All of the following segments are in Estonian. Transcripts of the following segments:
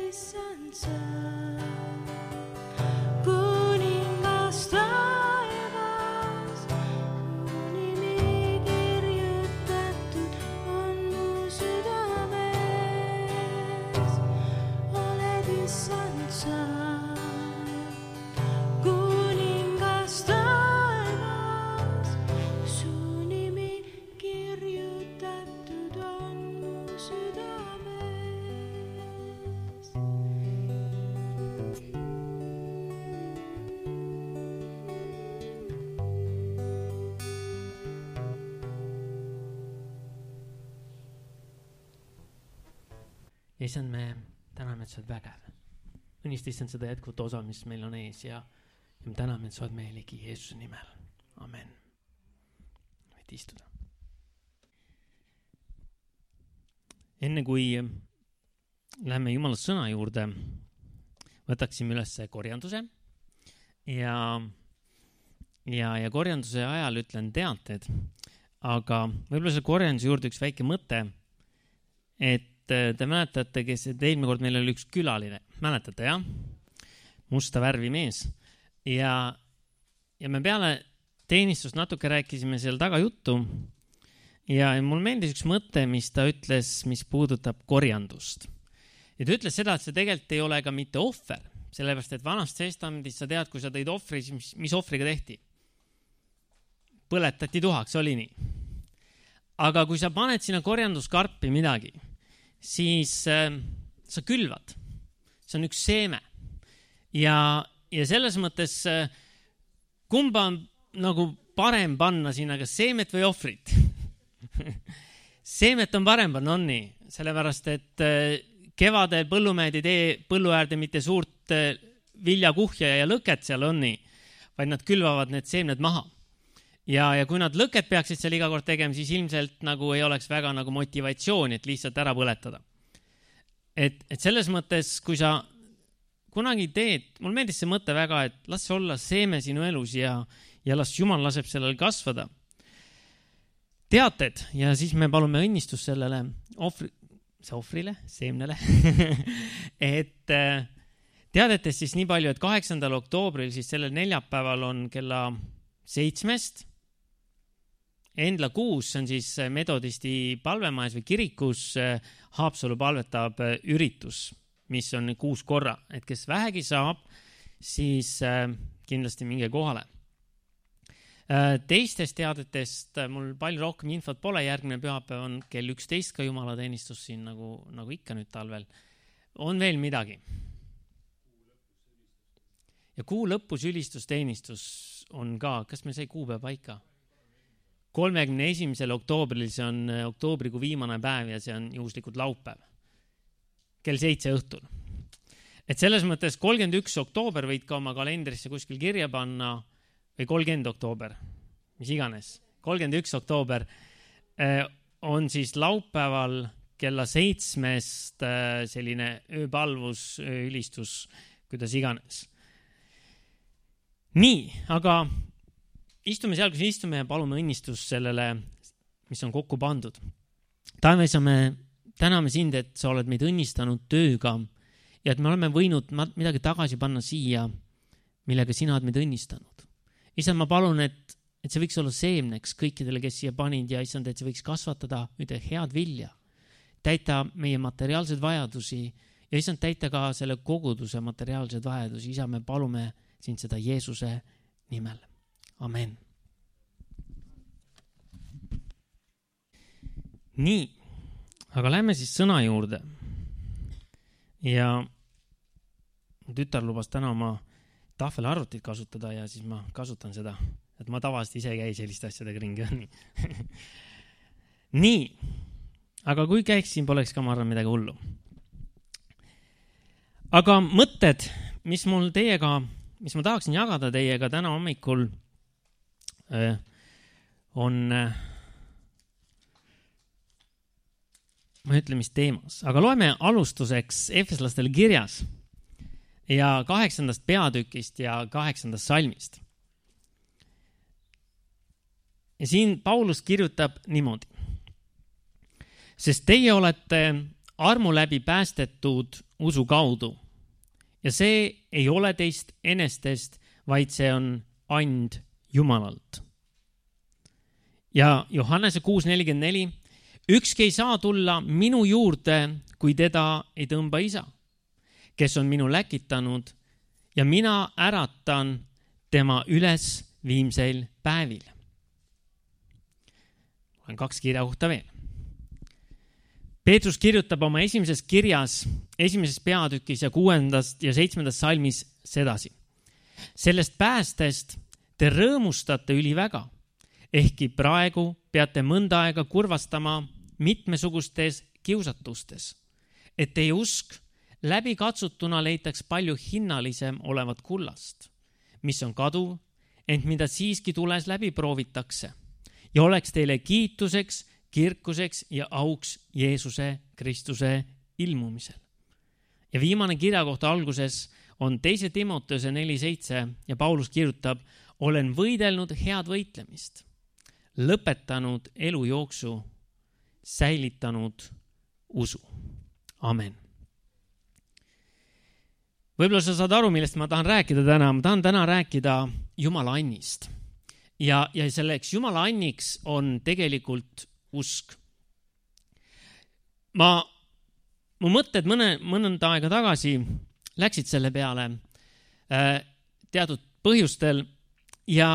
issand sa, kuningas taevas, mu nimi kirjutatud on mu südames. Oled issand sa, kuningas taevas, su nimi kirjutatud on mu südames. Issand, me täname, et sa oled vägev. Õnnista, issand, seda jätkuvat osa, mis meil on ees ja me täname, et sa oled meie ligi Jeesuse nimel. Amen. Võid istuda. Enne kui läheme Jumala sõna juurde, võtaksime üles korjanduse ja korjanduse ajal ütlen teated, aga võib-olla selle korjanduse juurde üks väike mõte, et te mäletate, kes eelmine kord meil oli üks külaline, mäletate, jah? Musta värvi mees. Ja me peale teenistust natuke rääkisime seal taga juttu ja mul meeldis üks mõte, mis ta ütles, mis puudutab korjandust. Ja ta ütles seda, et see tegelikult ei ole ka mitte ohver, sellepärast, et vanast testamendist sa tead, kui sa tõid ohvri, mis ohvriga tehti? Põletati tuhaks, oli nii. Aga kui sa paned sinna korjanduskarpi midagi, siis sa külvad. See on üks seeme. Ja selles mõttes, kumba on nagu parem panna sinna, kas seemet või ohvrit? Seemet on parem panna, on nii. Sellepärast, et kevadel põllumehed ei tee põllu äärde mitte suurt viljakuhja ja lõket seal, on nii, vaid nad külvavad need seemned maha. Ja kui nad lõket peaksid seal iga kord tegema, siis ilmselt nagu ei oleks väga nagu motivatsiooni, et lihtsalt ära põletada. Et selles mõttes, kui sa kunagi teed, mul meeldis see mõte väga, et las olla seeme sinu elus ja las Jumal laseb sellel kasvada. Teated ja siis me palume õnnistus sellele ohvrile, seemnele, et teadetest siis nii palju, et 8. oktoobril siis sellel neljapäeval on kella 7 Endla 6, see on siis metodisti palvemajas või kirikus Haapsalu palvetab üritus, mis on 6 korra. Et kes vähegi saab, siis kindlasti minge kohale. Teistest teadetest mul palju rohkem infot pole, järgmine pühapäev on kell 11 ka jumalateenistus siin nagu ikka nüüd talvel. On veel midagi? Ja kuu lõpus ülistusteenistus on ka, kas me sai kuupäev paika? 31. oktoobril, see on oktoobrikuu viimane päev ja see on juhuslikult laupäev. Kell 7 õhtul. Et selles mõttes 31. oktoober võid ka oma kalendrisse kuskil kirja panna või 30. oktoober, mis iganes. 31. oktoober on siis laupäeval kella 7 selline ööpalvus, ööülistus, kuidas iganes. Nii, aga istume seal, kus istume ja palume õnnistus sellele, mis on kokku pandud. Taevas, me täname sind, et sa oled meid õnnistanud tööga ja et me oleme võinud midagi tagasi panna siia, millega sina oled meid õnnistanud. Issand, ma palun, et see võiks olla seemneks kõikidele, kes siia panid ja issand, et see võiks kasvatada ühte head vilja, täita meie materiaalsed vajadusi ja issand, täita ka selle koguduse materiaalsed vajadusi. Isa, me palume sind seda Jeesuse nimel. Amen. Nii, aga lähme siis sõna juurde. Ja tütar lubas täna oma tahvelarvutit kasutada ja siis ma kasutan seda, et ma tavaliselt ise ei käi selliste asjadega ringi. Nii, aga kui käiksin, poleks ka ma arvan midagi hullu. Aga mõtted, mis ma tahaksin jagada teiega täna hommikul, on, ma ütlen, mis teemas. Aga loeme alustuseks Efeslastele kirjas ja 8. peatükist ja 8. salmist. Ja siin Paulus kirjutab niimoodi. Sest teie olete armu läbi päästetud usu kaudu. Ja see ei ole teist enestest, vaid see on and Jumalalt. Ja Johannese 6:44, ükski ei saa tulla minu juurde, kui teda ei tõmba isa, kes on minu läkitanud ja mina äratan tema üles viimseil päevil. On 2 kirjakohta veel. Peetrus kirjutab oma esimeses kirjas, 1. peatükis ja 6. ja 7. salmis sedasi. Sellest päästest te rõõmustate üliväga, ehkki praegu peate mõnda aega kurvastama mitmesugustes kiusatustes, et teie usk läbikatsutuna leitaks palju hinnalisem olevat kullast, mis on kaduv, ent mida siiski tules läbi proovitakse ja oleks teile kiituseks, kirkuseks ja auks Jeesuse Kristuse ilmumisel. Ja viimane kirjakohta alguses on 2. Timoteuse 4:7 ja Paulus kirjutab, olen võidelnud head võitlemist, lõpetanud elujooksu, säilitanud usu. Amen. Võib-olla sa saad aru, millest ma tahan rääkida täna. Ma tahan täna rääkida Jumala annist. Ja selleks Jumala anniks on tegelikult usk. Mu mõtted mõnda aega tagasi läksid selle peale teatud põhjustel ja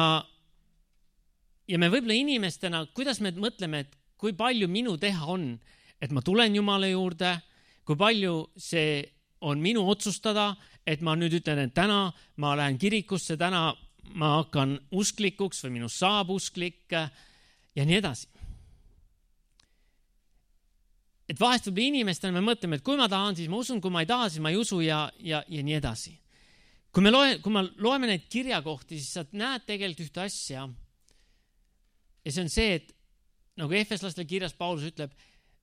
me võib-olla inimestena, kuidas me mõtleme, et kui palju minu teha on, et ma tulen Jumala juurde, kui palju see on minu otsustada, et ma nüüd ütlen, et täna ma lähen kirikusse, täna ma hakkan usklikuks või minust saab usklik ja nii edasi. Et vahest võib inimestena me mõtleme, et kui ma tahan, siis ma usun, kui ma ei taha, siis ma ei usu ja nii edasi. Kui me loeme neid kirjakohti, siis sa näed tegelikult ühte asja. Ja see on see, et nagu Efeslaste kirjas Paulus ütleb,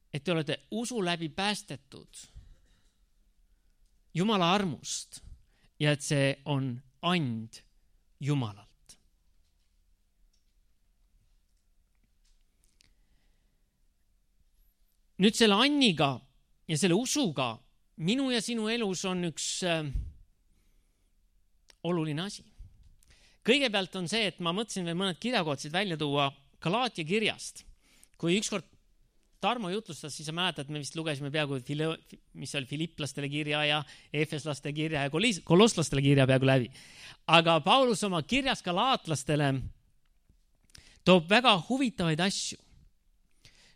et te olete usu läbi päästetud Jumala armust ja et see on and Jumalalt. Nüüd selle anniga ja selle usuga minu ja sinu elus on üks oluline asi. Kõigepealt on see, et ma mõtlesin veel mõned kirjakohad välja tuua Galaatia kirjast. Kui ükskord Tarmo jutlustas, siis sa mäletad, me vist lugesime peaaegu, mis oli Filipplastele kirja ja Efeslaste kirja ja Kolosslastele kirja peaaegu läbi. Aga Paulus oma kirjas galaatlastele toob väga huvitavaid asju.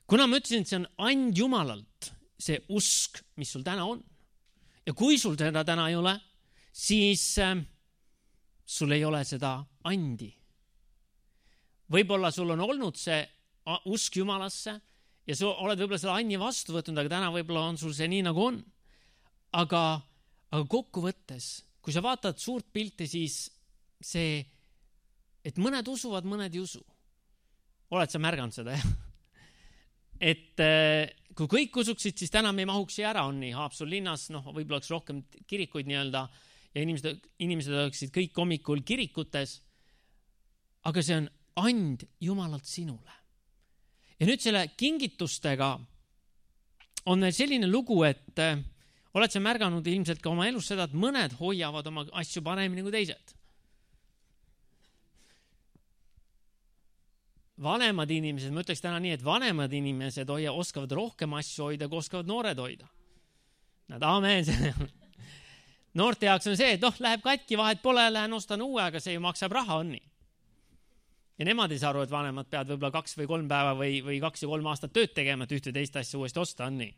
Kuna ma ütlesin, et see on and Jumalalt, see usk, mis sul täna on. Ja kui sul seda täna ei ole, siis sul ei ole seda andi. Võib-olla sul on olnud see usk Jumalasse ja sa oled võib-olla selle anni vastu võtnud, aga täna võib-olla on sul see nii nagu on. Aga kokkuvõttes, kui sa vaatad suurt pilti, siis see, et mõned usuvad, mõned ei usu. Oled sa märganud seda, jah? Et kui kõik usuksid, siis täna me ei mahuks siia ära, on nii Haapsalu linnas, võib-olla oleks rohkem kirikuid nii-öelda ja inimesed oleksid kõik hommikul kirikutes, aga see on and Jumalalt sinule. Ja nüüd selle kingitustega on selline lugu, et oled sa märganud ilmselt ka oma elus seda, et mõned hoiavad oma asju paremini kui teised. Vanemad inimesed, ma ütleks täna nii, et vanemad inimesed oskavad rohkem asju hoida, kui oskavad noored hoida. Nad amen. Noorte jaoks on see, et läheb katki, vahet pole, lähen ostan uue, aga see ju maksab raha, on nii. Ja nemad ei saa aru, et vanemad peavad võib-olla 2 või 3 päeva või 2 ja 3 aastat tööd tegema, et ühte teist asja uuesti osta, on nii.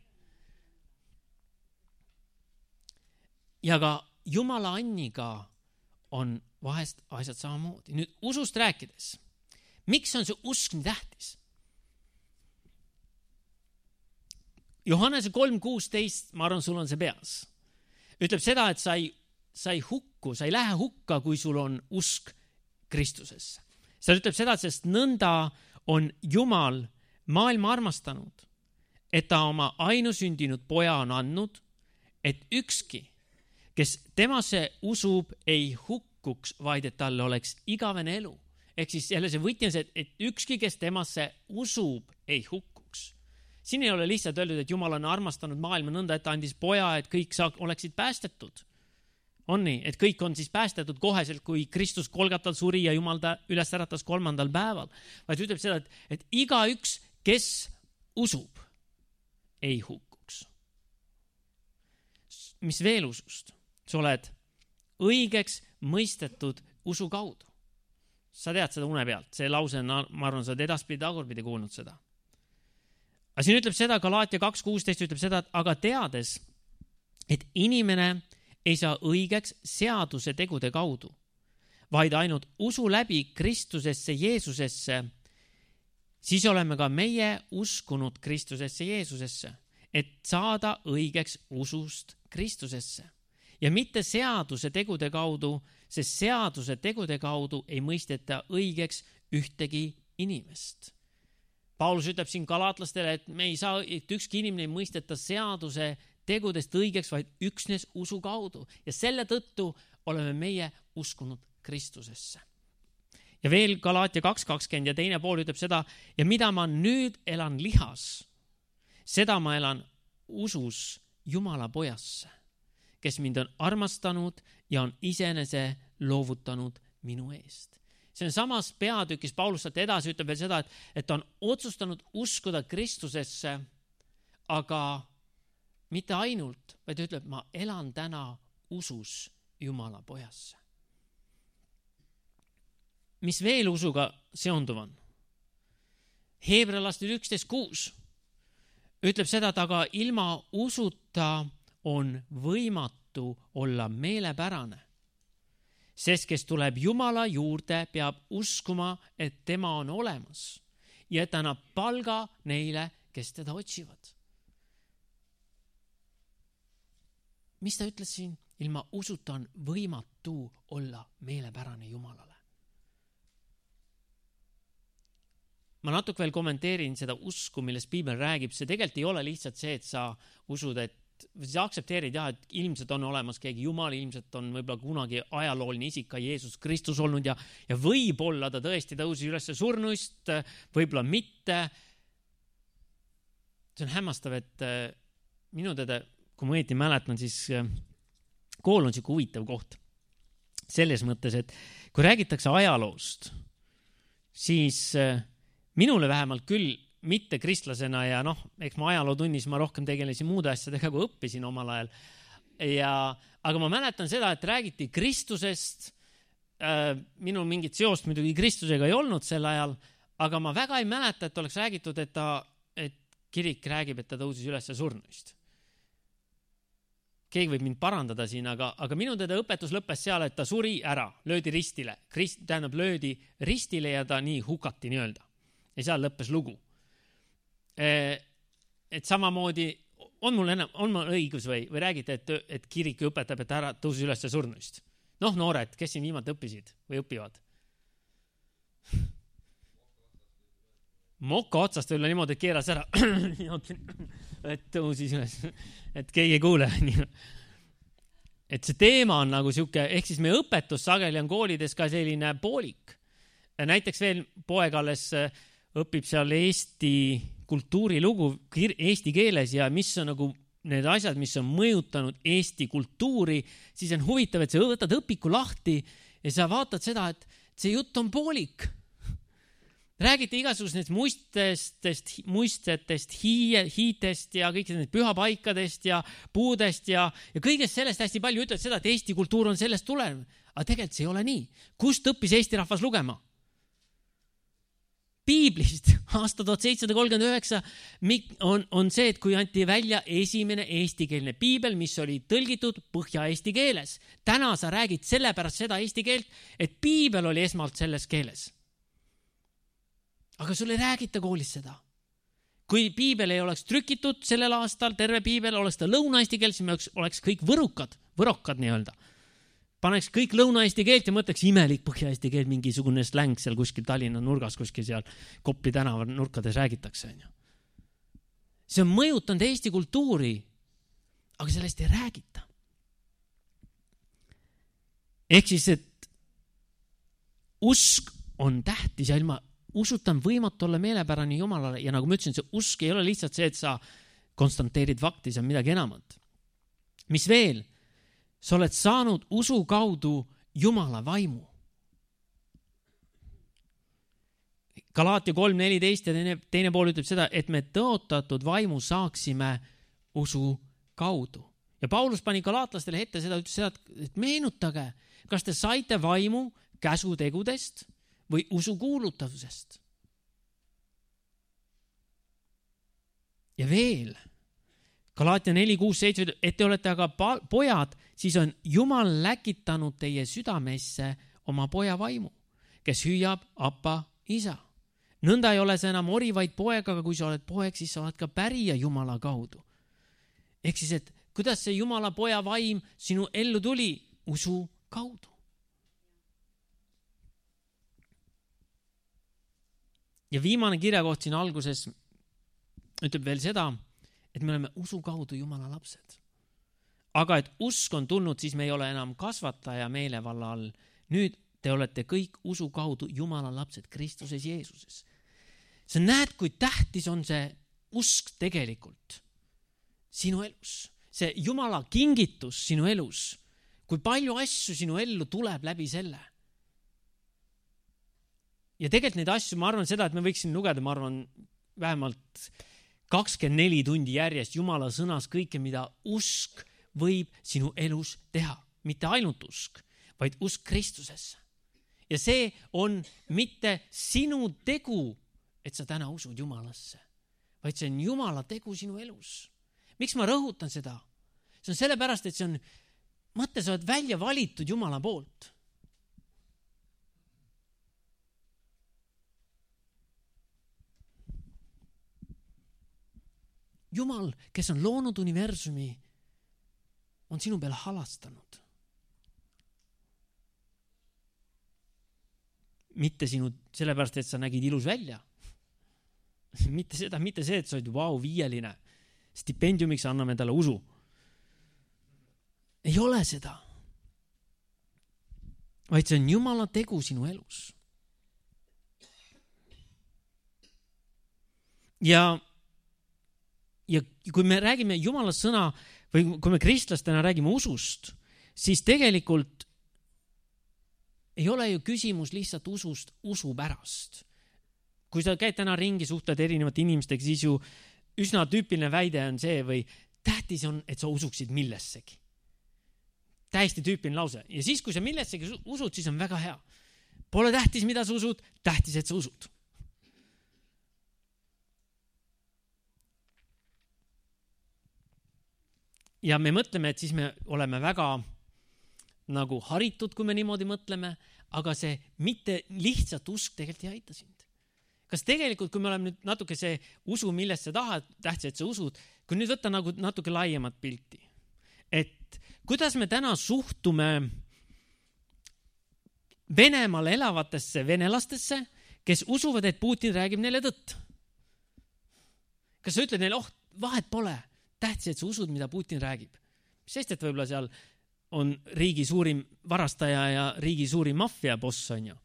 Ja ka Jumala anniga on vahest asjad samamoodi. Nüüd usust rääkides, miks on see usk nii tähtis? Johannese 3:16, ma arvan, sul on see peas. Ütleb seda, et sa ei lähe hukka, kui sul on usk Kristusesse. See ütleb seda, sest nõnda on Jumal maailma armastanud, et ta oma ainusündinud poja on andnud, et ükski, kes temasse usub, ei hukkuks, vaid et talle oleks igavene elu. Ehk siis jälle see võti on see, et ükski, kes temasse usub, ei hukkuks. siin ei ole lihtsalt öeldud, et Jumal on armastanud maailma nõnda, et ta andis poja, et kõik oleksid päästetud. On nii, et kõik on siis päästetud koheselt, kui Kristus Golgatal suri ja Jumal ta üles äratas 3. päeval. Vaid ütleb seda, et igaüks, kes usub, ei hukkuks. Mis veel usust? Sa oled õigeks mõistetud usu kaudu. Sa tead seda une pealt. See lause on, ma arvan, sa oled edaspidi tagurpidi kuulnud seda. Aga siin ütleb seda, Galaatia 2.16 ütleb seda, et aga teades, et inimene ei saa õigeks seaduse tegude kaudu, vaid ainult usu läbi Kristusesse Jeesusesse, siis oleme ka meie uskunud Kristusesse Jeesusesse, et saada õigeks usust Kristusesse. Ja mitte seaduse tegude kaudu, sest seaduse tegude kaudu ei mõisteta õigeks ühtegi inimest. Paulus ütleb siin galaatlastele, et me ei saa, et ükski inimene ei mõisteta seaduse tegudest õigeks, vaid üksnes usu kaudu. Ja selle tõttu oleme meie uskunud Kristusesse. Ja veel Galaatia 2.20 ja teine pool ütleb seda, ja mida ma nüüd elan lihas, seda ma elan usus Jumala pojasse, kes mind on armastanud ja on iseenese loovutanud minu eest. See on samas peatükis, Paulus sealt edasi ütleb veel seda, et ta on otsustanud uskuda Kristusesse, aga mitte ainult, vaid ütleb, ma elan täna usus Jumala pojasse. Mis veel usuga seonduv on? Heebrealaste 11.6 ütleb seda, et aga ilma usuta on võimatu olla meelepärane, sest kes tuleb Jumala juurde, peab uskuma, et tema on olemas ja et annab palga neile, kes teda otsivad. Mis ta ütles siin? Ilma usuta on võimatu olla meelepärane Jumalale. Ma natuke veel kommenteerin seda usku, millest Piibel räägib. See tegelikult ei ole lihtsalt see, et sa usud, et sa aktsepteerid, et ilmselt on olemas keegi Jumal, ilmselt on võib-olla kunagi ajalooline isik ka Jeesus Kristus olnud ja võib-olla ta tõesti tõusis üles surnuist, võib-olla mitte. See on hämmastav, et minu teada, kui ma õieti mäletan, siis kool on siuke huvitav koht. Selles mõttes, et kui räägitakse ajaloost, siis minule vähemalt küll mitte kristlasena ja eks ma ajalootunnis ma rohkem tegelesin muude asjadega, kui õppisin omal ajal. Aga ma mäletan seda, et räägiti Kristusest. Minul mingit seost muidugi Kristusega ei olnud sel ajal, aga ma väga ei mäleta, et oleks räägitud, et kirik räägib, et ta tõusis üles surnuist. Keegi võib mind parandada siin, aga minu teda õpetus lõppes seal, et ta suri ära, löödi ristile. Löödi ristile ja ta nii hukati nii-öelda. Ja seal lõppes lugu. Et samamoodi on mul õigus või räägite, et kirik õpetab, et ära tõusis üles surnuist. Noored, kes siin viimati õppisid või õpivad? Moka otsast võib-olla niimoodi, et keeras ära. Et tõusis üles, et keegi ei kuule. Et see teema on nagu siuke, ehk siis meie õpetus sageli on koolides ka selline poolik. Näiteks veel poeg alles õpib seal Eesti kultuurilugu eesti keeles ja mis on nagu need asjad, mis on mõjutanud Eesti kultuuri, siis on huvitav, et sa võtad õpiku lahti ja sa vaatad seda, et see jutt on poolik. Räägite igasugusest muistetest, hiitest ja kõik need pühapaikadest ja puudest ja kõigest sellest hästi palju ütled seda, et Eesti kultuur on sellest tulev. Aga tegelikult see ei ole nii. Kust õppis Eesti rahvas lugema? Piiblist aasta 1739 on see, et kui anti välja esimene eestikeelne piibel, mis oli tõlgitud põhja-eesti keeles. Täna sa räägid sellepärast seda eesti keelt, et piibel oli esmalt selles keeles. Aga sul ei räägita koolis seda. Kui piibel ei oleks trükitud sellel aastal, terve piibel, oleks ta lõuna-eesti keel, siis oleks kõik võrokad nii-öelda. Paneks kõik lõuna-eesti keelt ja mõtleks imelik põhja-eesti keel, mingisugune släng seal kuskil Tallinna nurgas, kuskil seal Kopli tänava nurkades räägitakse. See on mõjutanud Eesti kultuuri, aga sellest ei räägita. Ehk siis, et usk on tähtis ja ilma usutan võimatu olla meelepärane Jumalale ja nagu ma ütlesin, see usk ei ole lihtsalt see, et sa konstanteerid fakti, see on midagi enamat. Mis veel? Sa oled saanud usu kaudu Jumala vaimu. Galaatia 3:14 ja teine pool ütleb seda, et me tõotatud vaimu saaksime usu kaudu. Ja Paulus pani galaatlastele ette seda, ütles seda, et meenutage, kas te saite vaimu käsutegudest või usu kuulutavusest. Ja veel, Galaatia 4:6-7, et te olete aga pojad, siis on Jumal läkitanud teie südamesse oma poja vaimu, kes hüüab Appa, isa. Nõnda ei ole sa enam ori, vaid poeg, aga kui sa oled poeg, siis sa oled ka pärija Jumala kaudu. Ehk siis, et kuidas see Jumala poja vaim sinu ellu tuli? Usu kaudu. Ja viimane kirjakoht siin alguses ütleb veel seda, et me oleme usu kaudu Jumala lapsed. Aga et usk on tulnud, siis me ei ole enam kasvataja meelevalla all. Nüüd te olete kõik usu kaudu Jumala lapsed Kristuses Jeesuses. Sa näed, kui tähtis on see usk tegelikult sinu elus. See Jumala kingitus sinu elus. Kui palju asju sinu ellu tuleb läbi selle. Ja tegelikult neid asju, ma arvan seda, et me võiksin lugeda, ma arvan, vähemalt 24 tundi järjest Jumala sõnas kõike, mida usk võib sinu elus teha. Mitte ainult usk, vaid usk Kristusesse. Ja see on mitte sinu tegu, et sa täna usud Jumalasse, vaid see on Jumala tegu sinu elus. Miks ma rõhutan seda? See on sellepärast, et see on, mõtle, sa oled välja valitud Jumala poolt. Jumal, kes on loonud universumi, on sinu peale halastanud. Mitte sinu, sellepärast, et sa nägid ilus välja. Mitte see, et sa olid viieline. Stipendiumiks anname talle usu. Ei ole seda. Vaid see on Jumala tegu sinu elus. Ja kui me räägime Jumala sõna või kui me kristlastena räägime usust, siis tegelikult ei ole ju küsimus lihtsalt usust usu pärast. Kui sa käid täna ringi, suhtled erinevate inimestega, siis ju üsna tüüpiline väide on see või tähtis on, et sa usuksid millessegi. Täiesti tüüpiline lause. Ja siis, kui sa millessegi usud, siis on väga hea. Pole tähtis, mida sa usud, tähtis, et sa usud. Ja me mõtleme, et siis me oleme väga nagu haritud, kui me niimoodi mõtleme, aga see mitte lihtsalt usk tegelikult ei aita sind. Kas tegelikult, kui me oleme nüüd natuke see usu, millest sa tahad, tähtis, et sa usud, kui nüüd võtta nagu natuke laiemat pilti, et kuidas me täna suhtume Venemaal elavatesse venelastesse, kes usuvad, et Putin räägib neile tõtt. Kas sa ütled neile, vahet pole, tähtis, et sa usud, mida Putin räägib. Sest, et võib-olla seal on riigi suurim varastaja ja riigi suurim maffia boss on ju.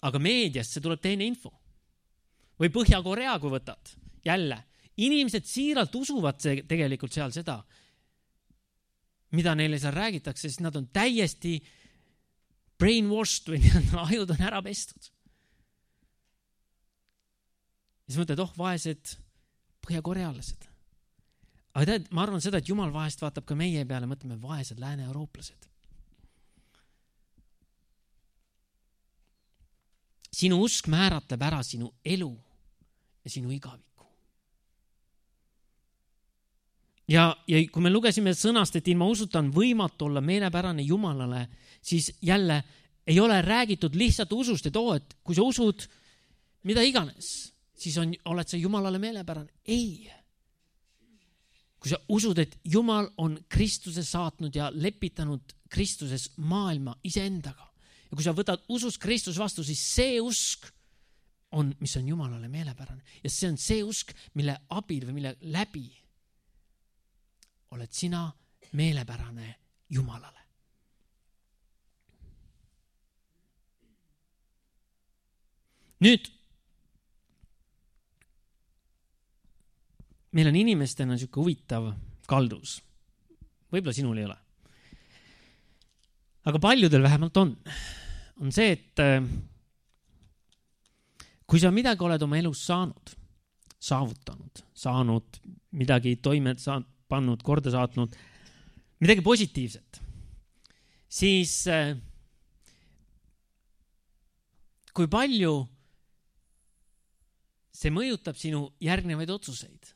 Aga meediast see tuleb teine info. Või Põhja-Korea, kui võtad. Jälle, inimesed siiralt usuvad tegelikult seal seda, mida neile seal räägitakse, sest nad on täiesti brainwashed või ajud on ära pestud. Ja siis mõtled, vaesed põhjakorealased. Aga tead, ma arvan seda, et Jumal vahest vaatab ka meie peale, mõtleme vaesed lääne-eurooplased. Sinu usk määratleb ära sinu elu ja sinu igaviku. Ja kui me lugesime sõnast, et ilma usuta on võimatu olla meelepärane Jumalale, siis jälle ei ole räägitud lihtsalt usust, et kui sa usud mida iganes, siis oled sa Jumalale meelepärane. Ei. Kui sa usud, et Jumal on Kristuse saatnud ja lepitanud Kristuses maailma iseendaga ja kui sa võtad usus Kristus vastu, siis see usk on, mis on Jumalale meelepärane. Ja see on see usk, mille abil või mille läbi oled sina meelepärane Jumalale. Nüüd, meil on inimestena niisugune huvitav kaldus. Võib-olla sinul ei ole. Aga paljudel vähemalt on. On see, et kui sa midagi oled oma elus saanud midagi toime pannud, korda saatnud, midagi positiivset, siis kui palju see mõjutab sinu järgnevaid otsuseid.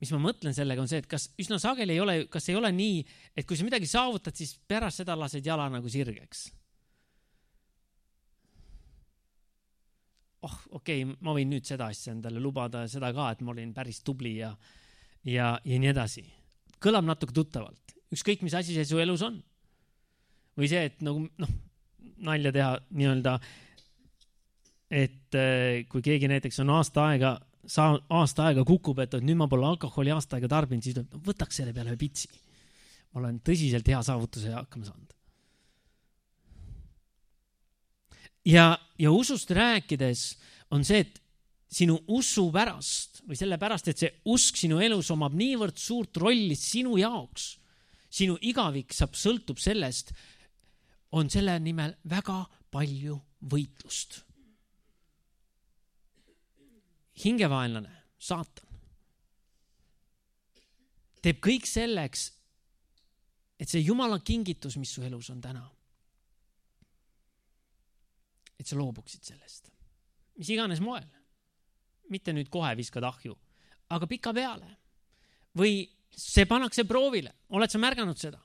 Mis ma mõtlen sellega on see, et kas üsna sageli kas ei ole nii, et kui sa midagi saavutad, siis pärast seda lased jala nagu sirgeks. Okei, ma võin nüüd seda asja endale lubada ja seda ka, et ma olin päris tubli ja nii edasi. Kõlab natuke tuttavalt. Ükskõik, mis asi see su elus on. Või see, et nagu, nalja teha nii-öelda, et kui keegi näiteks on aasta aega kukub, et nüüd ma pole alkoholi aasta aega tarbinud, siis võtaks selle peale ühe pitsi. Ma olen tõsiselt hea saavutuse hakkama saanud. Ja usust rääkides on see, et sinu usu pärast või selle pärast, et see usk sinu elus omab niivõrd suurt rolli sinu jaoks, sinu igavik sõltub sellest, on selle nimel väga palju võitlust. Hingevaenlane, saatan, teeb kõik selleks, et see Jumala kingitus, mis su elus on täna, et sa loobuksid sellest. Mis iganes moel. Mitte nüüd kohe viskad ahju, aga pika peale. Või see pannakse proovile. Oled sa märganud seda?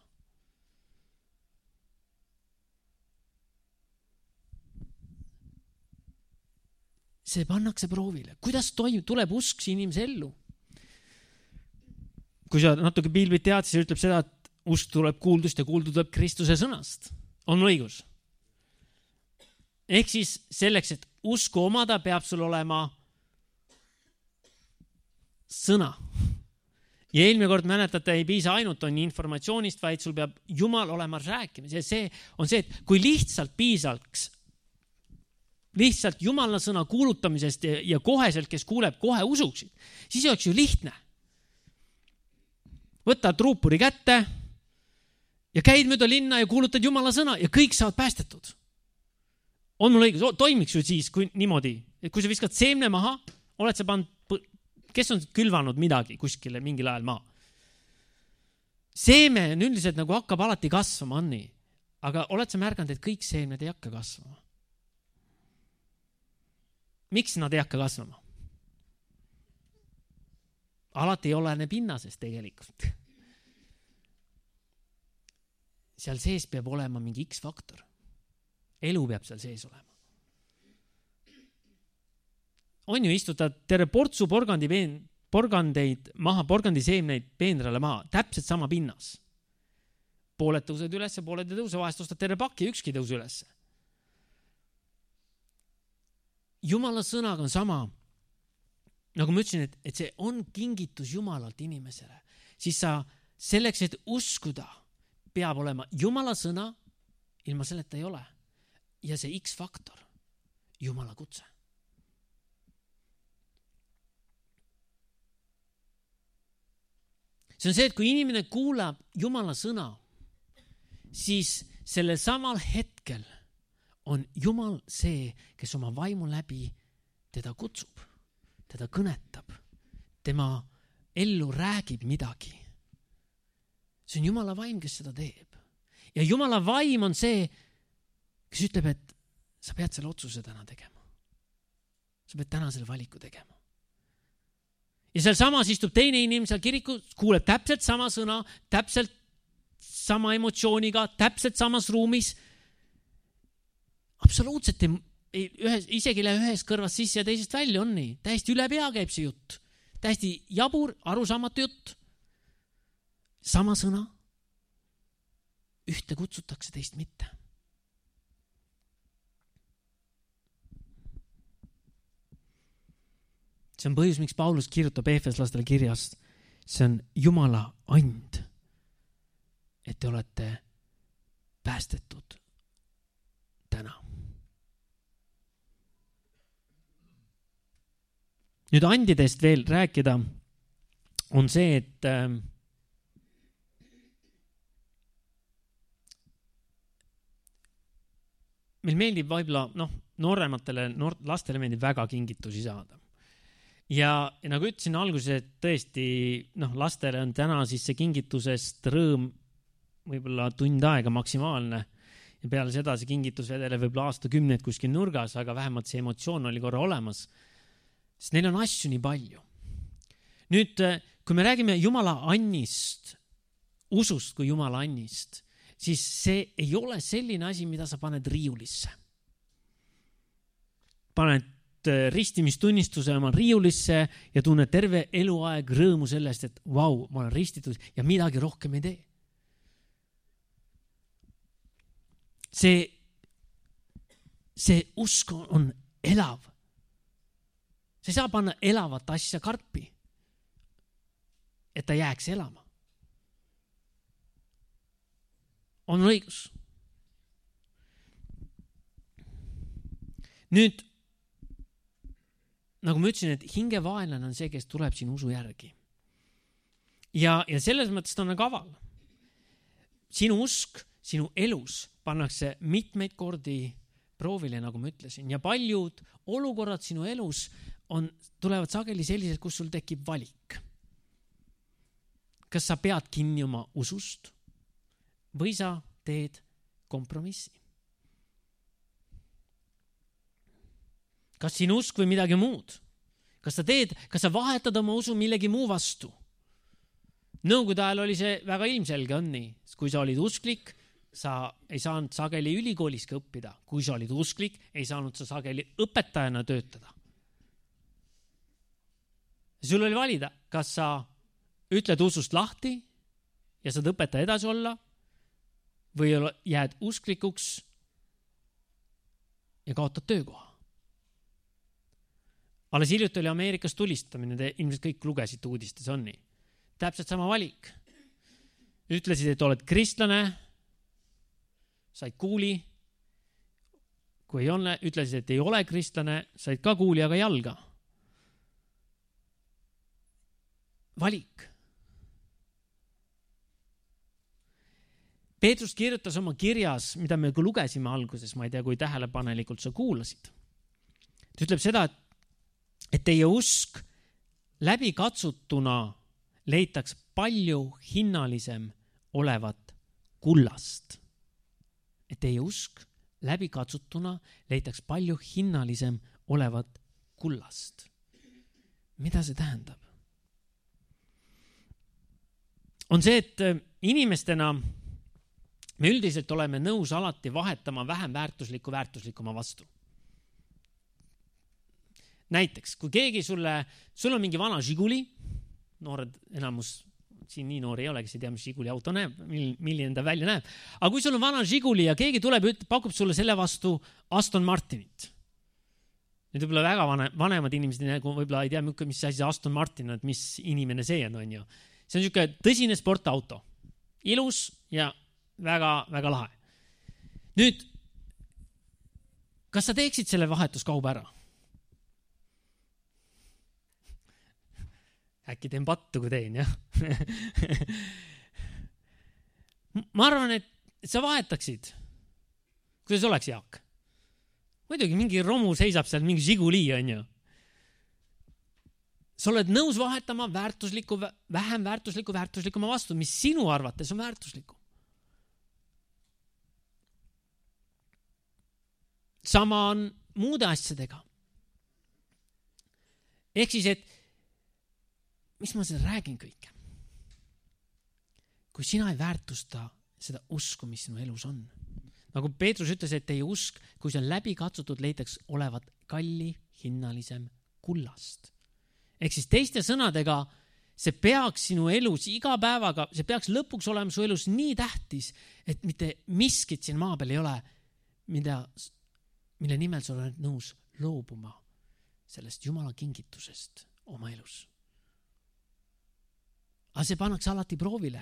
See pannakse proovile. Kuidas tuleb usk inimese ellu? Kui sa natuke piilbit tead, siis ütleb seda, et usk tuleb kuuldust ja kuuldu tuleb Kristuse sõnast. On mul õigus? Ehk siis selleks, et usku omada, peab sul olema sõna. Ja eelmine kord mäletate, ei piisa ainult on informatsioonist, vaid sul peab Jumal olema rääkimas. Ja see on see, et kui lihtsalt Jumala sõna kuulutamisest ja koheselt, kes kuuleb, kohe usuksid, siis oleks ju lihtne. Võtad ruupuri kätte ja käid mööda linna ja kuulutad Jumala sõna ja kõik saavad päästetud. On mul õigus, toimiks ju siis kui niimoodi, et kui sa viskad seemne maha, oled sa kes on külvanud midagi kuskile mingil ajal maa? Seeme on üldiselt nagu hakkab alati kasvama, on nii. Aga oled sa märganud, et kõik seemned ei hakka kasvama? Miks nad ei hakka kasvama? Alati ei olene pinnasest tegelikult. Seal sees peab olema mingi X-faktor. Elu peab seal sees olema. On ju istutad terve portsu porgandeid maha, porgandiseemneid peenrale maha, täpselt sama pinnas. Pooled tõused üles, pooled ei tõuse, vahest ostad terve pakki, ükski tõuse üles. Jumala sõnaga on sama. Nagu ma ütlesin, et see on kingitus Jumalalt inimesele. Siis sa selleks, et uskuda, peab olema Jumala sõna, ilma selleta ei ole. Ja see X-faktor, Jumala kutse. See on see, et kui inimene kuulab Jumala sõna, siis sellel samal hetkel on Jumal see, kes oma vaimu läbi teda kutsub, teda kõnetab, tema ellu räägib midagi. See on Jumala vaim, kes seda teeb. Ja Jumala vaim on see, kes ütleb, et sa pead selle otsuse täna tegema. Sa pead täna selle valiku tegema. Ja seal samas istub teine inimene seal kirikus, kuuleb täpselt sama sõna, täpselt sama emotsiooniga, täpselt samas ruumis. Absoluutselt isegi ühes kõrvas sisse ja teisest välja on nii. Täiesti üle pea käib see jutt. Täiesti jabur, arusaamatu jutt. Sama sõna. Ühte kutsutakse, teist mitte. See on põhjus, miks Paulus kirjutab Efeslastele kirjast. See on Jumala and, et te olete päästetud täna. nüüd andidest veel rääkida on see, et meil meeldib võib-olla, noorematele lastele meeldib väga kingitusi saada. Ja nagu ütlesin alguses, et tõesti, lastele on täna siis see kingitusest rõõm võib-olla tund aega maksimaalne. Ja peale seda see kingitus vedele võib-olla aastakümneid kuskil nurgas, aga vähemalt see emotsioon oli korra olemas. Sest neil on asju nii palju. Nüüd, kui me räägime Jumala annist, usust kui Jumala annist, siis see ei ole selline asi, mida sa paned riiulisse. Paned ristimistunnistuse oma riiulisse ja tunned terve eluaeg rõõmu sellest, et vau, ma olen ristitud ja midagi rohkem ei tee. See usk on elav. Sa ei saa panna elavat asja karpi, et ta jääks elama. On õigus. Nüüd, nagu ma ütlesin, et hingevaenlane on see, kes tuleb siin usu järgi. Ja selles mõttes ta on kaval. Sinu usk, sinu elus pannakse mitmeid kordi proovile, nagu ma ütlesin. Ja paljud olukorrad sinu elus tulevad sageli sellised, kus sul tekib valik. Kas sa pead kinni oma usust või sa teed kompromissi? Kas sinu usk või midagi muud? Kas sa vahetad oma usu millegi muu vastu? Nõukogude ajal oli see väga ilmselge, on nii. Kui sa olid usklik, sa ei saanud sageli ülikooliski õppida. Kui sa olid usklik, ei saanud sa sageli õpetajana töötada. Sul oli valida, kas sa ütled usust lahti ja saad õpetaja edasi olla või jääd usklikuks ja kaotad töökoha. Alles hiljuti oli Ameerikas tulistamine, te ilmselt kõik lugesite uudistes, on nii. Täpselt sama valik. Ütlesid, et oled kristlane, said kuuli. Kui ei ole, ütlesid, et ei ole kristlane, said ka kuuli, aga jalga. Valik. Peetrus kirjutas oma kirjas, mida me lugesime alguses, ma ei tea, kui tähelepanelikult sa kuulasid. Ta ütleb seda, et teie usk läbi katsutuna leitaks palju hinnalisem olevat kullast. Et teie usk läbi katsutuna leitaks palju hinnalisem olevat kullast. Mida see tähendab? On see, et inimestena me üldiselt oleme nõus alati vahetama vähem väärtuslikuma vastu. Näiteks, kui keegi sul on mingi vana Žiguli, noored enamus, siin nii noori ei ole, kes ei tea, mis Žiguli auto näeb, milline ta välja näeb. Aga kui sul on vana Žiguli ja keegi tuleb ja pakub sulle selle vastu Aston Martinit. Need võib-olla väga vanemad inimesed, võib-olla ei tea, mis asi Aston Martin on, et mis inimene see on ju. See on niisugune tõsine sportauto. Ilus ja väga, väga lahe. Nüüd, kas sa teeksid selle vahetuskauba ära? Äkki teen pattu, kui teen, jah? Ma arvan, et sa vahetaksid. Kuidas oleks, Jaak? Muidugi, mingi romu seisab seal, mingi Žiguli on ju. Sa oled nõus vahetama vähem väärtuslikuma vastu, mis sinu arvates on väärtusliku. Sama on muude asjadega. Ehk siis, et mis ma seda räägin kõike? Kui sina ei väärtusta seda usku, mis sinu elus on. Nagu Peetrus ütles, et teie usk, kui see on läbi katsutud, leitaks olevat kalli hinnalisem kullast. Ehk siis teiste sõnadega, see peaks sinu elus iga päevaga, see peaks lõpuks olema su elus nii tähtis, et mitte miskit siin maa peal ei ole, mille nimel sa oled nõus loobuma sellest Jumala kingitusest oma elus. Aga see pannakse alati proovile.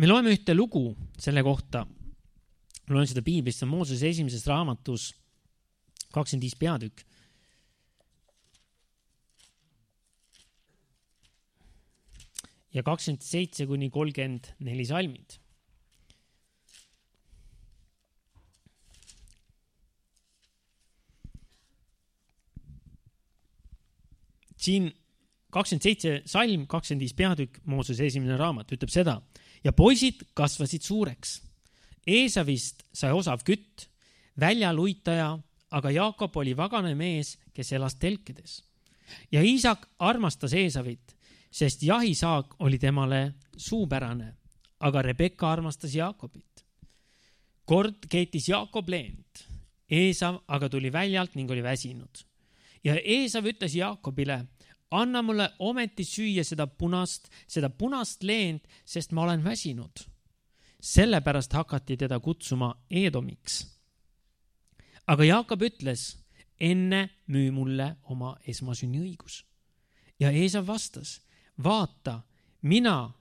Me loeme ühte lugu selle kohta. Me loen seda Piiblist, see on Moosese esimeses raamatus 25 peatükk. Ja 27-34 salmid. Siin 27 salm, 25 peatükk, Moosese esimene raamat ütleb seda. Ja poisid kasvasid suureks. Eesavist sai osav kütt, väljaluitaja, aga Jaakob oli vagane mees, kes elas telkides. Ja Iisak armastas Eesavit, sest jahisaak oli temale suupärane, aga Rebekka armastas Jaakobit. Kord keetis Jaakob leent, Eesav aga tuli väljalt ning oli väsinud. Ja Eesav ütles Jaakobile, anna mulle ometi süüa seda punast leent, sest ma olen väsinud. Sellepärast hakati teda kutsuma Eedomiks. Aga Jaakob ütles, enne müü mulle oma esmasünniõigus. Ja Eesav vastas, vaata, mina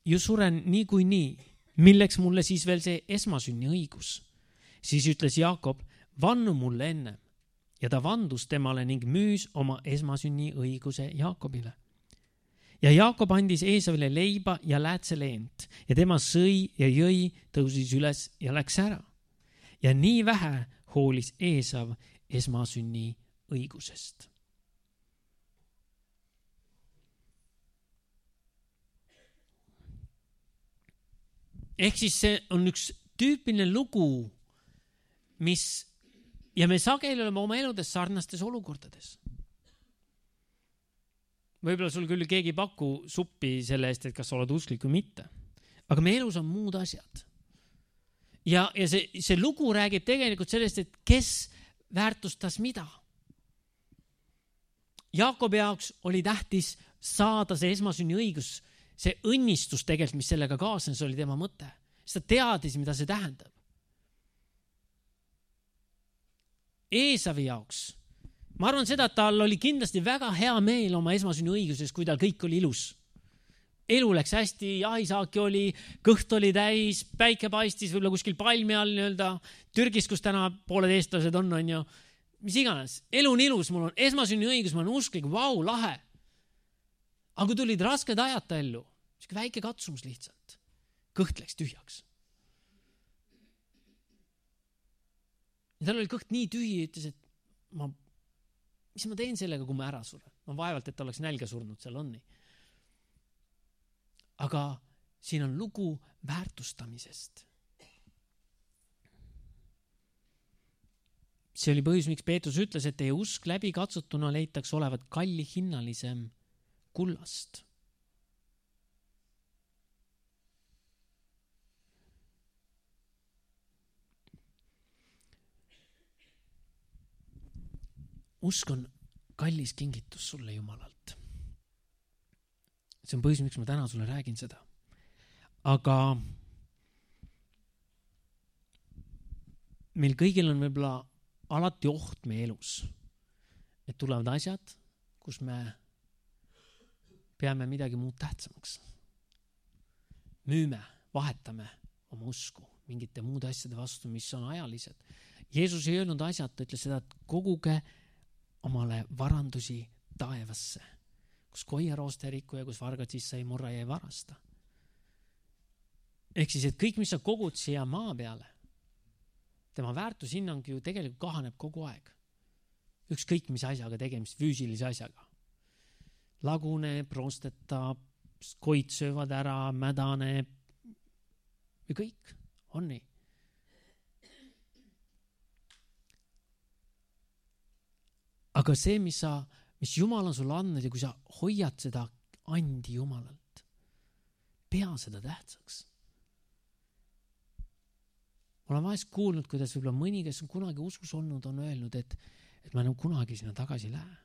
ju suren niikuinii, milleks mulle siis veel see esmasünniõigus. Siis ütles Jaakob, vannu mulle enne. Ja ta vandus temale ning müüs oma esmasünniõiguse Jaakobile. Ja Jaakob andis Eesavile leiba ja läätseleent ja tema sõi ja jõi, tõusis üles ja läks ära. Ja nii vähe hoolis Eesav esmasünniõigusest. Ehk siis see on üks tüüpiline lugu, ja me sageli oleme oma eludes sarnastes olukordades. Võib-olla sul küll keegi ei paku suppi selle eest, et kas sa oled usklik või mitte. Aga meie elus on muud asjad. Ja see lugu räägib tegelikult sellest, et kes väärtustas mida. Jaakobi jaoks oli tähtis saada see esmasünniõigus, see õnnistus tegelikult, mis sellega kaasnes, oli tema mõte. Sest ta teadis, mida see tähendab. Eesavi jaoks. Ma arvan seda, et tal oli kindlasti väga hea meel oma esmasünniõiguses, kui tal kõik oli ilus. Elu läks hästi, jahisaaki oli, kõht oli täis, päike paistis võib-olla kuskil palmi all nii-öelda, Türgis, kus täna pooled eestlased on ju. Mis iganes, elu on ilus, mul on esmasünniõigus, ma olen usklik, vau, lahe. Aga kui tulid rasked ajad ta ellu, siis väike katsumus lihtsalt, kõht läks tühjaks. Ja tal oli kõht nii tühi, ütles, et mis ma teen sellega, kui ma ära suren? Ma vaevalt, et ta oleks nälga surnud, seal on nii. Aga siin on lugu väärtustamisest. See oli põhjus, miks Peetrus ütles, et teie usk läbi katsutuna leitaks olevat kalli hinnalisem kullast. Usk on kallis kingitus sulle Jumalalt. See on põhjus, miks ma täna sulle räägin seda. Aga meil kõigil on võib-olla alati oht meie elus, et tulevad asjad, kus me peame midagi muud tähtsamaks. Müüme, vahetame oma usku mingite muude asjade vastu, mis on ajalised. Jeesus ei öelnud asjad, ta ütles seda, et koguge omale varandusi taevasse, kus koiaroost ei riku ja kus vargad sisse ei murra ja ei varasta. Ehk siis, et kõik, mis sa kogud siia maa peale, tema väärtushinnang ju tegelikult kahaneb kogu aeg. Ükskõik mis asjaga tegemist, füüsilise asjaga. Laguneb, roostetab, koid söövad ära, mädaneb ja kõik on nii. Aga see, mis Jumal on sulle andnud ja kui sa hoiad seda andi Jumalalt, pea seda tähtsaks. Ma olen vahest kuulnud, kuidas võib-olla mõni, kes on kunagi usus olnud, on öelnud, et ma enam kunagi sinna tagasi lähe.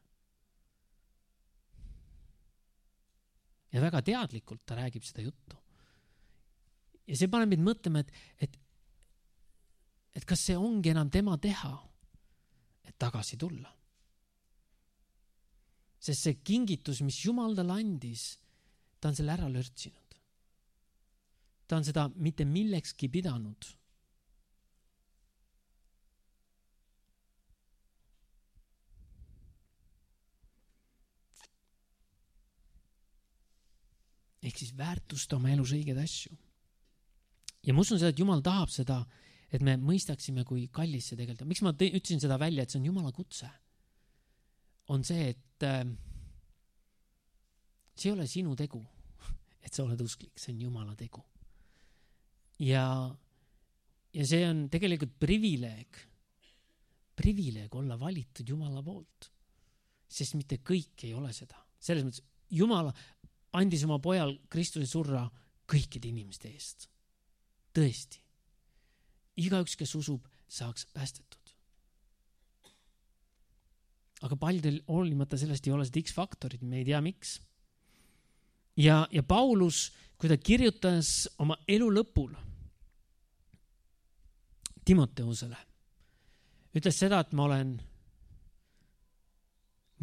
Ja väga teadlikult ta räägib seda juttu. Ja see paneb meid mõtlema, et kas see ongi enam tema teha, et tagasi tulla. Sest see kingitus, mis Jumal talle andis, ta on selle ära lörtsinud. Ta on seda mitte millekski pidanud. ehk siis väärtusta oma elus õigeid asju. Ja ma usun seda, et Jumal tahab seda, et me mõistaksime, kui kallis see tegelikult on. Miks ma ütlesin seda välja, et see on Jumala kutse? On see, et see ei ole sinu tegu, et sa oled usklik, see on Jumala tegu. Ja see on tegelikult privileeg olla valitud Jumala poolt. Sest mitte kõik ei ole seda. Selles mõttes, Jumal andis oma pojal Kristuse surra kõikide inimeste eest. Tõesti. Igaüks, kes usub, saaks päästetud. Aga paljudel hoolimata sellest ei ole seda X-faktorit, me ei tea miks. Ja Paulus, kui ta kirjutas oma elu lõpul Timoteusele, ütles seda, et ma olen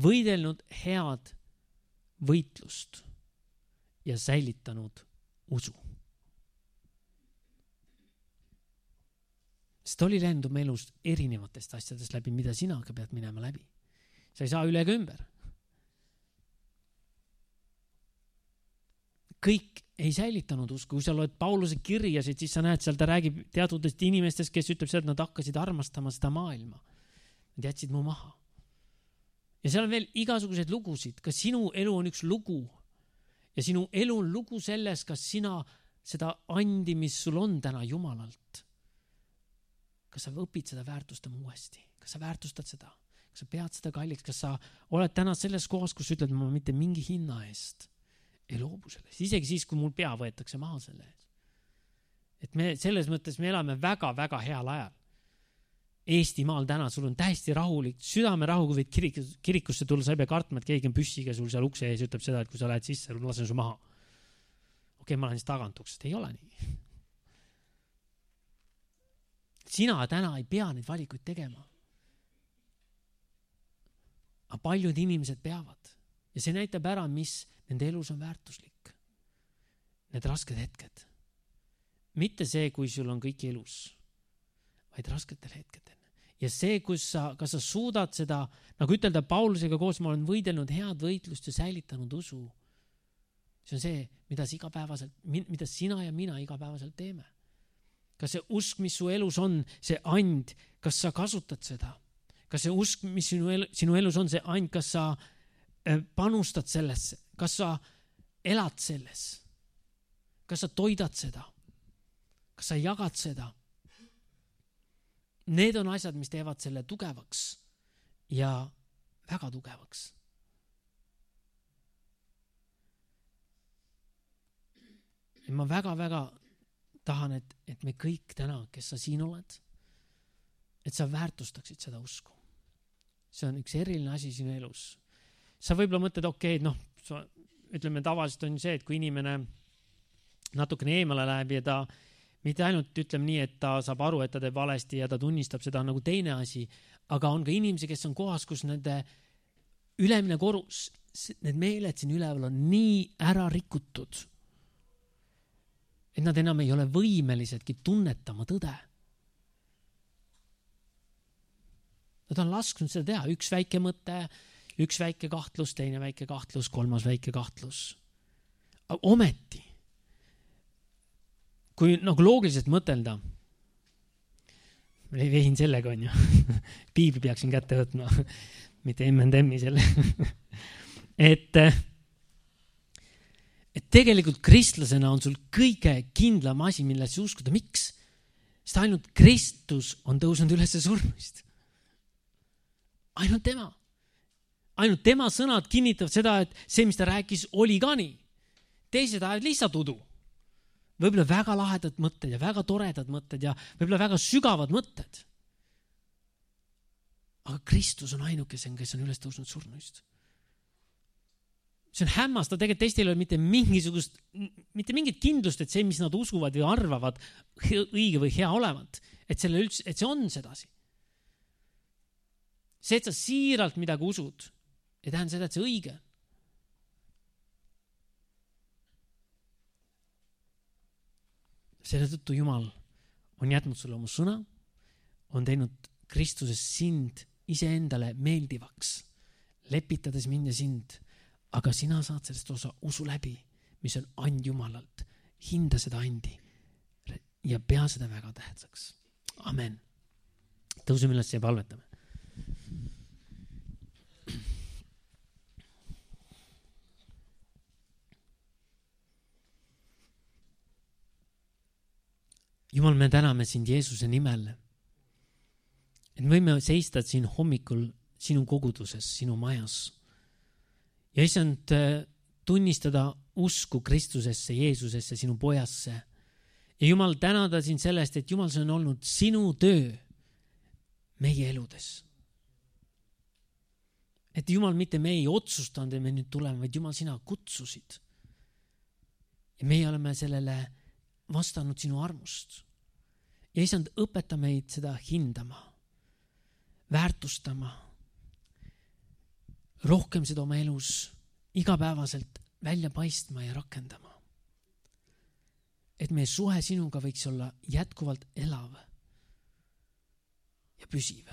võidelnud head võitlust ja säilitanud usu. Sest oli läinud oma elus erinevatest asjadest läbi, mida sina ka pead minema läbi. Sa ei saa üle ega ümber. Kõik ei säilitanud usku. Kui sa loed Pauluse kirjasid, siis sa näed, seal ta räägib teatudest inimestest, kes ütleb seda, et nad hakkasid armastama seda maailma. Nad jätsid mu maha. Ja seal on veel igasuguseid lugusid. Kas sinu elu on üks lugu? Ja sinu elu on lugu selles, kas sina seda andi, mis sul on täna Jumalalt. Kas sa õpid seda väärtustama uuesti? Kas sa väärtustad seda? Kas sa pead seda kalliks? Kas sa oled täna selles kohas, kus ütled, ma mitte mingi hinna eest ei loobu selles. Isegi siis, kui mul pea võetakse maha selle ees. Et me selles mõttes me elame väga-väga heal ajal. Eestimaal täna sul on täiesti rahulik, südame rahu, kui võid kirikusse tulla, sa ei pea kartma, et keegi on püssiga sul seal ukse ees, ütleb seda, et kui sa lähed sisse, lasen su maha. Okei, ma lähen siis tagant uksest. Ei ole nii. Sina täna ei pea neid valikuid tegema. Aga paljud inimesed peavad. Ja see näitab ära, mis nende elus on väärtuslik. Need rasked hetked. Mitte see, kui sul on kõik elus, vaid rasketel hetkedel. Ja see, kas sa suudad seda, nagu ütelda Paulusega koos, ma olen võidelnud head võitlust ja säilitanud usu. See on see, mida sina ja mina igapäevaselt teeme. Kas see usk, mis su elus on, see and, kas sa kasutad seda? Kas see usk, mis sinu elus on, see and, kas sa panustad sellesse? Kas sa elad selles? Kas sa toidad seda? Kas sa jagad seda? Need on asjad, mis teevad selle tugevaks ja väga tugevaks. Ja ma väga-väga tahan, et me kõik täna, kes sa siin oled, et sa väärtustaksid seda usku. See on üks eriline asi sinu elus. Sa võib-olla mõtled, ütleme tavaliselt on see, et kui inimene natukene eemale läheb ja ta mitte ainult ütleme nii, et ta saab aru, et ta teeb valesti ja ta tunnistab seda nagu teine asi, aga on ka inimesi, kes on kohas, kus nende ülemine korus, need meeled siin üleval on nii ära rikutud, et nad enam ei ole võimelisedki tunnetama tõde. Nad on lasknud seda teha. Üks väike mõte, üks väike kahtlus, teine väike kahtlus, kolmas väike kahtlus. Aga ometi, kui nagu loogiliselt mõtelda, vehin sellega on ju, piibli peaksin kätte võtma, mitte M&M-i selle, et tegelikult kristlasena on sul kõige kindlam asi, millesse uskuda. Miks? Sest ainult Kristus on tõusnud üles surmist. Ainult tema. Ainult tema sõnad kinnitavad seda, et see, mis ta rääkis, oli ka nii. Teised ajad lihtsalt udu. Võib-olla väga lahedad mõtted ja väga toredad mõtted ja võib-olla väga sügavad mõtted. Aga Kristus on ainukesem, kes on üles tõusnud surnust. See on hämmastav, tegelikult teistel ei ole mitte mingit kindlust, et see, mis nad usuvad või arvavad õige või hea olevat, et see on sedasi. See, et sa siiralt midagi usud, ei tähenda seda, et see õige. Selle tõttu Jumal on jätnud sulle oma sõna, on teinud Kristuses sind iseendale meeldivaks, lepitades mind ja sind. Aga sina saad sellest osa usu läbi, mis on and Jumalalt. Hinda seda andi ja pea seda väga tähtsaks. Amen. Tõuseme üles ja palvetame. Jumal, me täname sind Jeesuse nimel, et me võime seista siin hommikul sinu koguduses, sinu majas. Ja isand tunnistada usku Kristusesse, Jeesusesse, sinu pojasse. Ja Jumal, tänada sind sellest, et Jumal, see on olnud sinu töö meie eludes. Et Jumal, mitte me ei otsustanud, et me nüüd tuleme, vaid Jumal, sina kutsusid. Ja meie oleme sellele vastanud sinu armust. Ja isand, õpeta meid seda hindama, väärtustama, rohkem seda oma elus igapäevaselt välja paistma ja rakendama. Et meie suhe sinuga võiks olla jätkuvalt elav ja püsiv.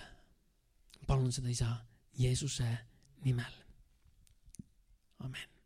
Palun seda isa Jeesuse nimel. Amen.